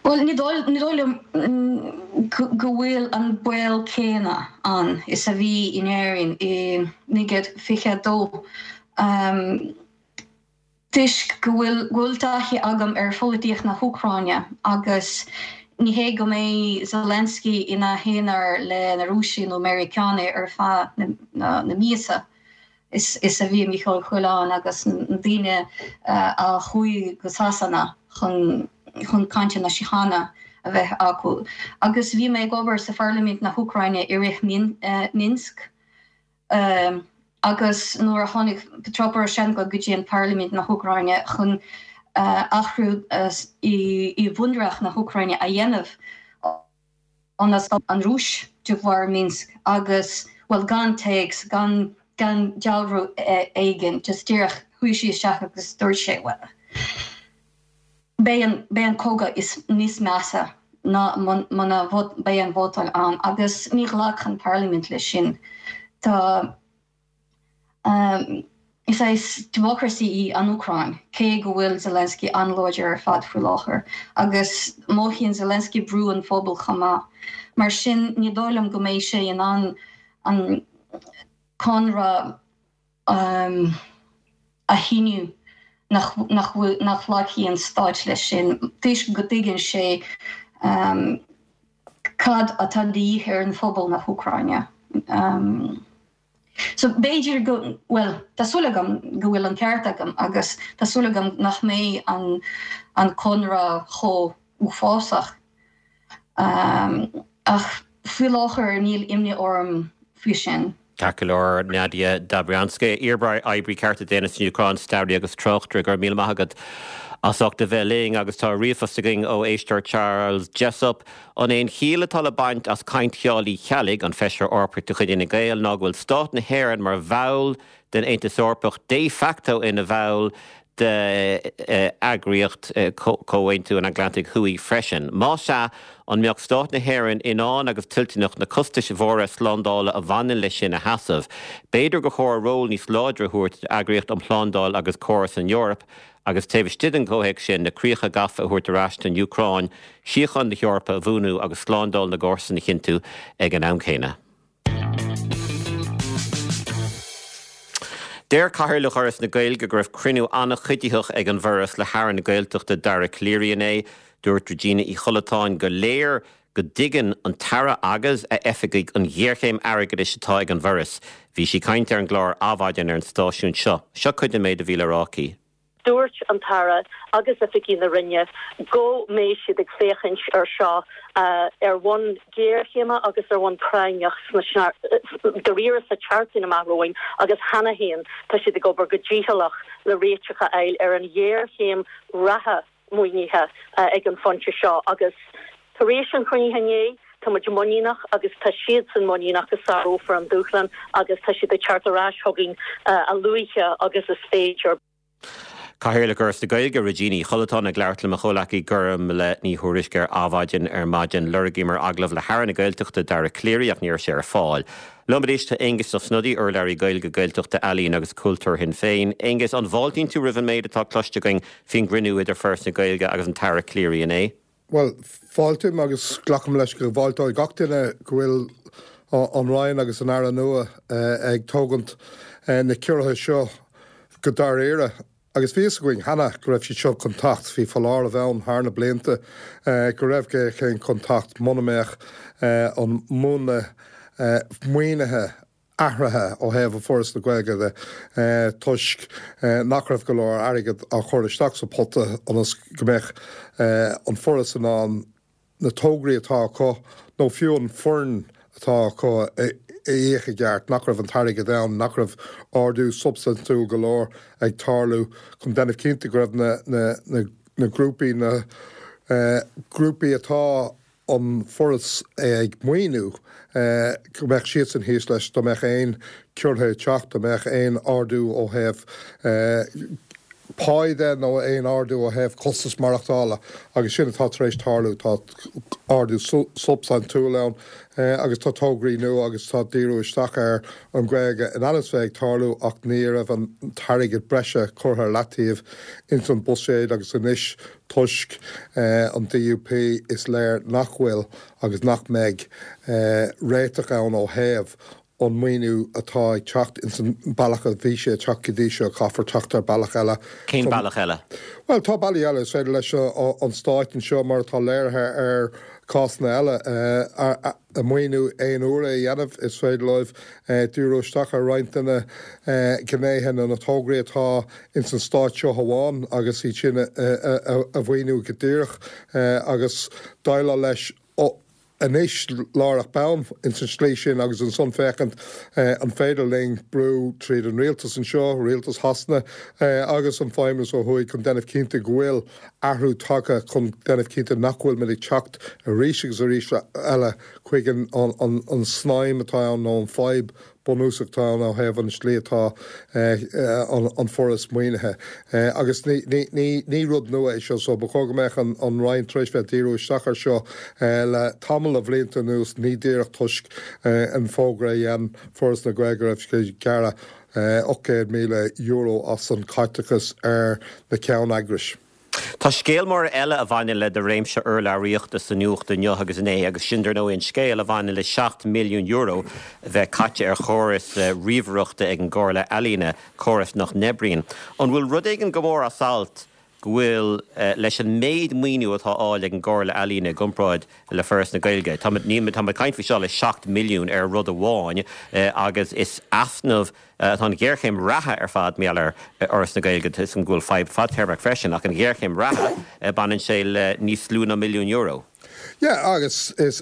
Bhuel, ní dóigh liom go bhfuil an baol céanna ann is a bhí in Éirinn i naoi déag fiche a dó. Toisc go bhfuil go bhfuil taithí agam ar pholaitíocht na hÚcráine agus ní hé go mbeidh Zelensky ina aonar le na Rúisigh nó Meiriceánaigh ar feadh na na míosa is is a bhí Mícheál Ó Coileáin agus na daoine a chuaigh go Sasana chun chun cainteanna síochána a bheith acu. Agus bhí mé ag obair sa Pharlaimint na hÚcráine i rith Minsk. Agus nuair a tháinig Petro Poroshenko go dtí an Parlaimint na hÚcráine chun athrú i bhunreacht na hÚcráine a dhéanamh ionas go an Rúis de bharr Minsk agus, bhuel, gan téacs, gan gan dealramh éigin, just díreach chuaigh sé isteach agus dúirt sé, bhuel, beidh an beidh an cogadh is níos measa ná muna mbeidh an vótáil ann agus ní ghlac an Parlaimint leis sin. Tá Is saghas democracy í an Úcráin, cé go bhfuil Zelensky an-láidir ar fad faoi láthair, agus mothaíonn Zelensky brú an phobail chomh maith. Mar sin, ní dóigh liom go mbeidh sé in ann an conradh a shíniú nach nach nglacfaidh an stát leis sin, toisc go dtuigeann sé cad atá de dhíth ar an phobal na hÚcráine. So b'fhéidir go, bhuel, tá súil agam go bhfuil an ceart agam agus tá súil agam nach mbeidh an an conradh chomh uafásach. Ach faoi láthair níl imní orm faoi sin. Ceart go leor, Nadia Dobrianska, iar-oibrí cearta daonna san Úcráin, staraí agus tráchtaire, go raibh míle maith agat as ucht a bheith linn agus tá ríomhphost againn ó éisteoir Charles Jessop. An é an chiall atá le baint as caint Sheáin Uí Cheallaigh, an Feisire Eorpach de chuid Fhine Gael, ná go bhfuil Stát na hÉireann mar bhall den Aontas Eorpach de facto ina bhall d'eagraíocht Chomhaontú an Atlantaigh Thuaidh freisin? Más ea, an mbeadh Stát na hÉireann in ann agus toilteanach na costais mhóra slándála a bhaineann leis sin a sheasamh? B'fhéidir gur chóir ról níos láidre a thabhairt d'Eagraíocht um Shlándáil agus Comhar san Eoraip agus taobh istigh den chomhthéacs sin, na críocha gafa a thabhairt ar ais don Úcráin, síocháin na hEorpa a bhuanú agus slándáil na gcomharsan a chinntiú ag an am céanna. Deir Cathaoirleach Fhoras na Gaeilge go raibh cruinniú an-chuiditheach ag an bhForas le hAire na Gaeltachta Dara Calleary inné. Dúirt Regina Uí Chollatáin gur léir go dtuigeann an tAire agus a oifigigh an ghéarchéim airgeadais atá ag an bhForas. Bhí sí ag caint ar an gclár Adhmhaidin ar an stáisiún seo. Seo cuid den méid a bhí le rá aici. Dúirt an tAire agus oifigigh na Roinne go mbeidh siad ag féachaint ar seo ar bhonn géarchéime agus ar bhonn práinneach sna dáiríre sa tseachtain amach romhainn agus cheana féin tá siad ag obair go dícheallach le réiteach a fháil ar an ghéarchéim reatha maoinithe ag an phointe seo agus tar éis an chruinnithe inné tá muid muiníneach agus tá siadsan muiníneach go sárófar an dúshlán agus tá siad ag teacht ar ais chugainn a luaithe agus is féidir. Cathaoirleach Fhoras na Gaeilge, Regina Uí Chollatáin ag labhairt le mo chomhleacaí Gormfhlaith Ní Thuairisg ar Adhmhaidin ar maidin. Lorgaíomar agallamh le hAire na Gaeltachta, Dara Calleary ach ní raibh sé ar fáil. Liom anois tá Aengus Ó Snodaigh, urlabhraí Gaeilge, Gaeltachta, Ealaíon agus Cultúir Shinn Féin. Aengus, an bhfáiltíonn tú roimh an méid atá cloiste againn faoin gcruinniú idir Foras na Gaeilge agus an tAire Calleary inné? Bhuel, fáiltím agus glacaim leis go bhfáilteoidh gach duine go bhfuil an Roinn agus an Aire nua ag tógaint na ciorruithe seo go dáiríre. Agus bhí a fhios againn cheana go raibh siad seo chun teacht, bhí foláireamh ann thar na blianta go raibh géarchéim chun teacht muna mbeadh an múnla maoinithe athraithe ó thaobh Foras na Gaeilge de toisc nach raibh go leor airgead á chur isteach sa phota ionas go mbeadh an Foras in ann na tograí atá acu nó fiú an foireann atá acu a íoc i gceart, nach raibh an t-airgead ann, nach raibh ardú substaintiúil go leor ag tarlú chun déanamh cinnte go raibh na na na na grúpaí na grúpaí atá an Foras ag maoiniú go mbeadh siadsan thíos leis dá mbeadh aon ciorruithe ag teacht, dá mbeadh aon ardú ó thaobh pá de nó aon ardú ó thaobh costas maireachtála agus sin atá tar éis tarlú. Tá ardú substaintiúil ann agus tá tograí nua agus tá díriú isteach ar an Ghaeilge in ainm is bheith ag tarlú ach ní raibh an t-airgead breise curtha ar leataobh ins an buiséad agus anois toisc an DUP is léir nach bhfuil agus nach mbeidh réiteach ann ó thaobh an maoiniú atá ag teacht ins an bealach a bhí sé ag teacht go dtí seo, caithfear teacht ar bealach eile. Cén bealach eile? Bhuel, tá bealaí eile. Is féidir leis an Stáit anseo, mar atá léirithe ar cásanna eile, maoiniú aon uaire a dhéanamh. Is féidir leo díriú isteach ar roinnt de na gnéithe nó na tograí atá ins an Stát seo amháin agus iad sin a mhaoiniú go díreach agus déileáil leis anois láithreach bonn ins an tslí sin agus ansan féachaint an féidir linn brú tríd an rialtas anseo, rialtas Shasana agus an Feidhmeannas ó thuaidh chun déanamh cinnte go bhfuil athrú tagtha chun déanamh cinnte nach bhfuil muid ag teacht arís agus arís eile chuig an an snaidhm atá ann nó an fadhb bunúsach atá ann ó thaobh an tslí atá an Foras maoinithe. Agus ní rud nua é seo, so ba chóir go mbeadh an Roinn tar éis bheith ag díriú isteach air seo le tamall de bhlianta anuas, ní díreach toisc an fógra a dhein Foras na Gaeilge go raibh siad ag gearradh ocht gcéad míle euro as an chaiteachas ar na ceanneagrais. Tá scéal mór eile a bhaineann le do réimse urlabhraíochta sa nuacht inniu agus inné, agus sin dar ndóigh an scéal a bhaineann le seacht milliún euro a bheith caite ar chóras ríomhaireachta ag an gComhairle Ealaíne, córas nach n-oibríonn. An bhfuil rud éigin go mór as alt go bhfuil leis an méid maoiniú atá á fháil ag an gComhairle Ealaíne i gcomparáid le Foras na Gaeilge? Tá muid ag caint faoi seo le seacht milliún ar rud amháin agus is easnamh Tá an ghéarchéim reatha ar fad mar gheall ar Fhoras na Gaeilge, tá a fhios agam go bhfuil fadhb fadtéarmach freisin, ach an ghéarchéim reatha, baineann sé le níos lú ná milliún euro. Yeah, agus is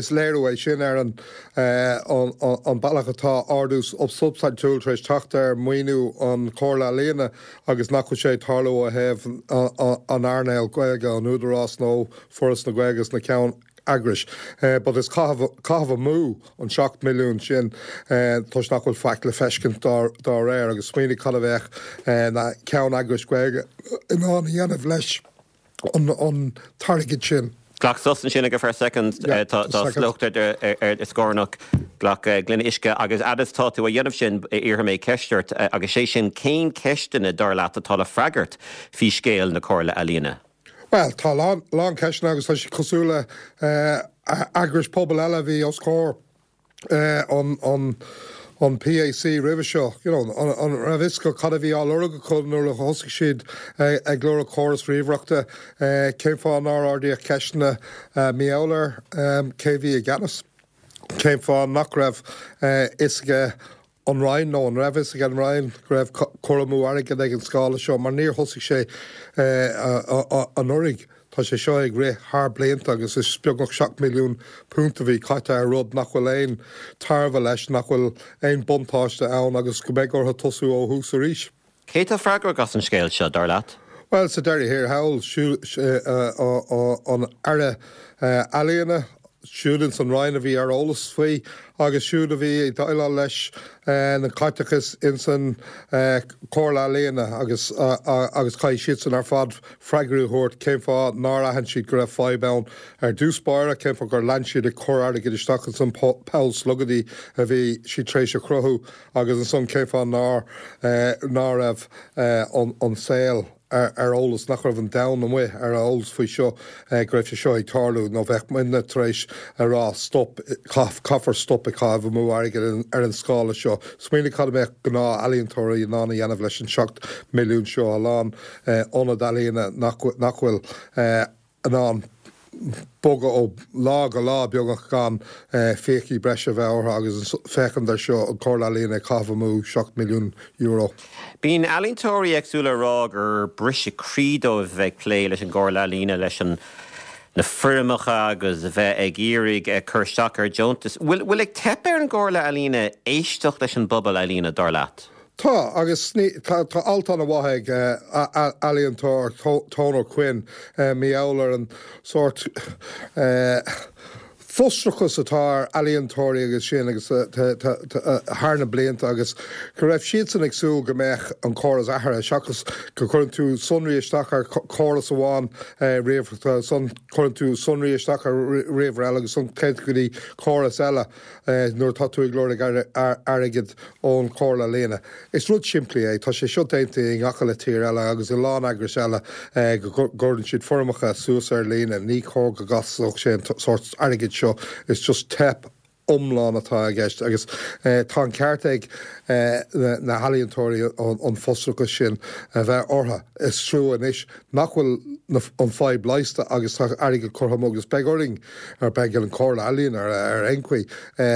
léiriú é sin ar an an bealach atá ardú substaintiúil tar éis teacht ar mhaoiniú an Chomhairle Ealaíona agus nach bhfuil sé ag tarlú ó thaobh an earnáil Gaeilge, an Údarás nó Foras na Gaeilge sna ceann eagrais. But is caitheamh amú an seacht milliún sin toisc nach bhfuil faic le feiscint dá réir agus smaoinigh cad a bheadh na ceanneagrais Gaeilge in ann a dhéanamh leis an t-airgead sin. Glac sos ansin for a second. Tá slócht ar do scornach. Glac gloine uisce agus fhad is tá tú á dhéanamh sin iarrfaidh mé ceist ort agus sé sin cén ceisteanna dar leat atá le freagairt faoi scéal na Comhairle Ealaíona? Bhuel, tá a lán, lán ceisteanna agus tá siad cosúil le eagrais pobail eile a bhí os comhair an, an, an PAC roimhe seo. You know, an, an raibh fhios acu cad a bhí á lorg acu nuair a thosaigh siad ag lorg córas ríomhaireachta? Cén fáth nár ardaíodh ceisteanna mar gheall ar cé a bhí i gceannas? Cén fáth nach raibh fhios aige an Roinn, nó an raibh fhios ag an Roinn go raibh cur amú airgid ag an scála seo, mar níor thosaigh sé anuraidh, tá sé seo ag rith thar blianta agus is beagnach seacht milliún punt a bhí caite ar rud nach bhfuil aon tairbhe leis, nach bhfuil aon buntáiste ann agus go mbeidh orthu tosú ó thús arís. Cé atá freagrach as an scéal seo, dar leat? Bhuel, sa deireadh thiar thall, an Aire Ealaíona, siúd ins an Roinn a bhí ar eolas faoi agus siúd a bhí ag déileáil leis na caiteachas ins an Chomhairle Ealaíona agus agus caithfidh siadsan ar fad freagra a thabhairt cén fáth nár aithin siad go raibh fadhb ann ar dtús báire, cén fáth gur lean siad ag cur airgid isteach ins an poll slogaidí a bhí siad tar éis a chruthú agus ansan cén fáth nár ná raibh an saol ar eolas, nach raibh an domhan amuigh ar eolas faoi seo, go raibh sé seo ag tarlú, nó bheadh muidne tar éis a rá stop, caithfear stop ag caitheamh amú airgid ar an scála seo. Smaoinigh cad a mbeadh gnáth-ealaíontóirí in ann a dhéanamh leis an seacht milliún seo, a lán ionad ealaíona nach bhfuil in ann bogadh ó lá go lá beagnach gan fiacha breise a bheith orthu agus féachaint air seo, an Chomhairle Ealaíon ag caitheamh amú seacht milliún euro. Bíonn ealaíontóirí éagsúla ag rá gur briseadh croí dóibh a bheith ag plé leis an gComhairle Ealaíon, leis an na foirmeacha agus a bheith ag iarraidh cur isteach ar deontais. Bhfuil ag teip ar an gComhairle Ealaíon éisteacht leis an bpobal ealaíona, dar leat? Tá, agus tá tá alt an-mhaith ag ealaíontóir Tone Quinn mar gheall ar an sórt frustrachas atá ar ealaíontóirí agus sin agus thar na blianta agus go raibh siadsan ag súil go mbeadh an córas athraithe seachas go gcuireann tú sonraí isteach ar chóras amháin ríomhaireachta ansan cuireann tú sonraí isteach ar ríomhaire eile agus ansan téann tú go dtí córas eile. nuair atá tú ag lorg airgead ón Chomhairle Ealaíon. Is rud simplí é, tá sé seo déanta i ngach uile tír eile agus i lán eagrais eile go gcuireann siad foirmeacha suas ar líne. Ní chóir go gcostódh sé an sórt airgid seo, is just teip iomlán atá i gceist agus tá an ceart ag na healaíontóirí an frustrachas sin a bheith orthu. Is trua anois nach bhfuil an fadhb leigheasta agus tá airgead curtha amú agus beidh orainn, ar beidh ar an Chomhairle Ealaíon ar aon chaoi,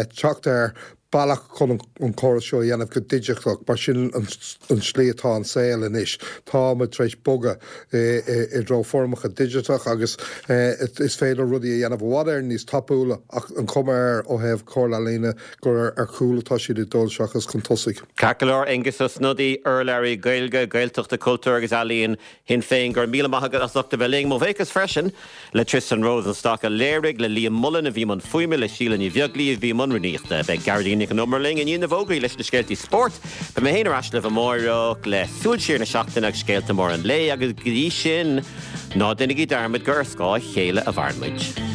teacht ar bealach chun an córas seo a dhéanamh go digiteach mar sin an tslí atá an saol anois. Tá muid tar éis bogadh i dtreo foirmeacha digiteach agus is féidir rudaí a dhéanamh i bhfad Éireann níos tapúla ach an chuma air ó thaobh Comhairle Ealaíon gur ar chúl atá siad ag dul seachas chun tosaigh. Ceart go leor, Aengus Ó Snodaigh, urlabhraí Gaeilge, Gaeltachta, Cultúir agus Ealaíon Shinn Féin, go raibh míle maith agat as ucht a bheith linn. Mo bhuíochas freisin le Tristan Rosenstock a léirigh, le Liam Mullen a bhí i mbun fuaime, le Síle Ní Bheaglaoí a bhí i mbun rúnaíochta. Beidh Gearóidín Nic an Iomaire linn i ndiaidh na bhfógraí leis na scéaltaí spóirt. Beidh mé féin ar ais libh amáireach le súil siar na seachtaine agus scéalta móra an lae agus go dtí sin, ná déanaigí dearmad gur ar scáth a chéile a mhaireann muid.